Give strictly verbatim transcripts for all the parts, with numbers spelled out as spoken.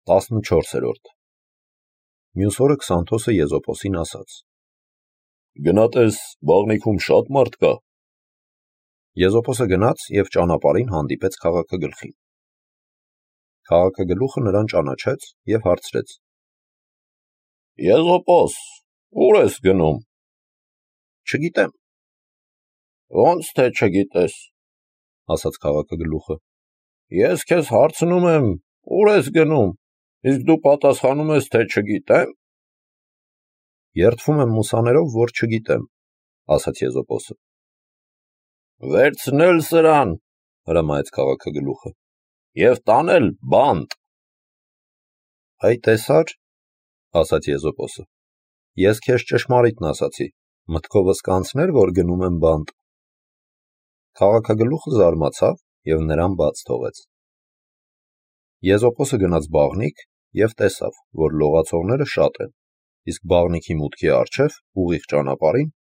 տասնչորսերորդ Մյուս օրը Քսանթոսը Եզոպոսին ասաց. Գնա տես, բաղնիքում շատ մարդ կա։ Եզոպոսը գնաց և ճանապարհին հանդիպեց քաղաքագլխին։ Քաղաքագլուխը նրան ճանաչեց և հարցրեց. Եզոպոս, ուր ես գնում։ Չգիտեմ։ Ոնց թե չգիտես, ասաց քաղաքագլուխը։ Ես քեզ հարցնում եմ, ուր ես գնում, իսկ դու պատասխանում ես, թե չգիտեմ։ Երդվում եմ մուսաներով, որ չգիտեմ, ասաց Եզոպոսը։ Վերցնել սրան, հրամայեց քաղաքագլուխը, և տանել բանտ։ Այ տեսա՞ր, ասաց Եզոպոսը, ես քեզ ճշմարիտն ասացի, մտքովս կանցներ, որ գնում եմ բանտ։ Քաղաքագլուխը զարմացավ և նրան բաց թողեց։ Եզոպոսը գնաց բաղնիք և տեսավ, որ լողացողները շատ են, իսկ բաղնիքի մուտքի առջև, ուղիղ ճանապարհին,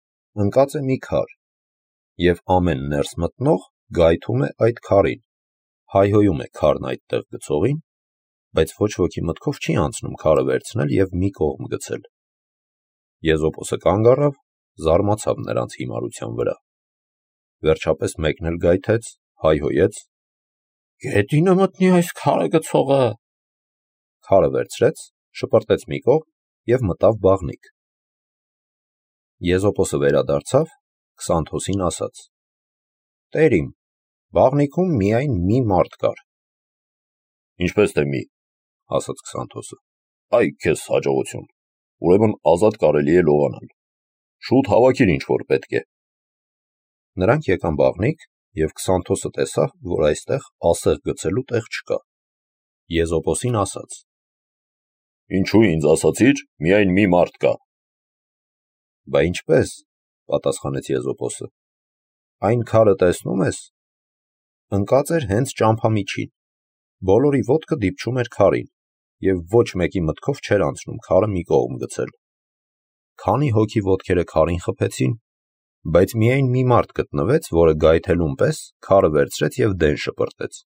ընկած է մի քար, և ամեն ներս մտնող գայթում է այդ քարին, հայհոյում է քարն այդտեղ գցողին, բայց ոչ ոքի մտքով չի անցնում քարը վերցնել և մի կողմ գցել։ Եզոպոսը կանգ առավ, զարմացավ նրանց հիմարության վրա։ Վերջապես մեկն էլ գայթեց, հայհոյեց. Գետինը մտնի այս քարը գցողը։ Քարը վերցրեց, շպրտեց մի կողմ և մտավ բաղնիք։ Եզոպոսը վերադարձավ, Քսանթոսին ասաց. Տեր իմ, բաղնիքում միայն մի մարդ կար։ Ինչպես թե մի, ասաց Քսանթոսը։ Այ քեզ հաջողություն, ուրեմն ազատ կարելի է լողանալ։ Շուտ հավաքիր ինչ որ պետք է։ Նրանք եկան բաղնիք, և Քսանթոսը տեսավ, որ այստեղ ասեղ գցելու տեղ չկա։ Եզոպոսին ասաց. Ինչու ինձ ասացիր, միայն մի մարդ կա։ Բա ինչպես, պատասխանեց Եզոպոսը, այն քարը տեսնում ես, ընկած էր հենց ճամփամիջին, բոլորի ոտքը դիպչում էր քարին, և ոչ մեկի մտքով չէր անցնում քարը մի կողմ գցել։ Քանի հոգի ոտքերը քարին խփեցին, բայց միայն մի մարդ գտնվեց, որը գայթելուն պես քարը վերցրեց և դեն շպրտեց,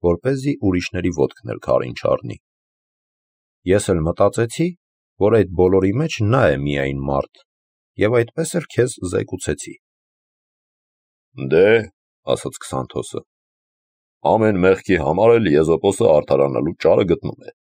որպեսզի ուրիշների ոտքն էլ քարին չառնի։ Ես էլ մտածեցի, որ այդ բոլորի մեջ նա է միայն մարդ, և այդպես էլ քեզ զեկուցեցի։ Դե, ասաց Քսանթոսը, ամեն մեղքի համար էլ Եզոպոսը արդարանալու ճարը գտնում է։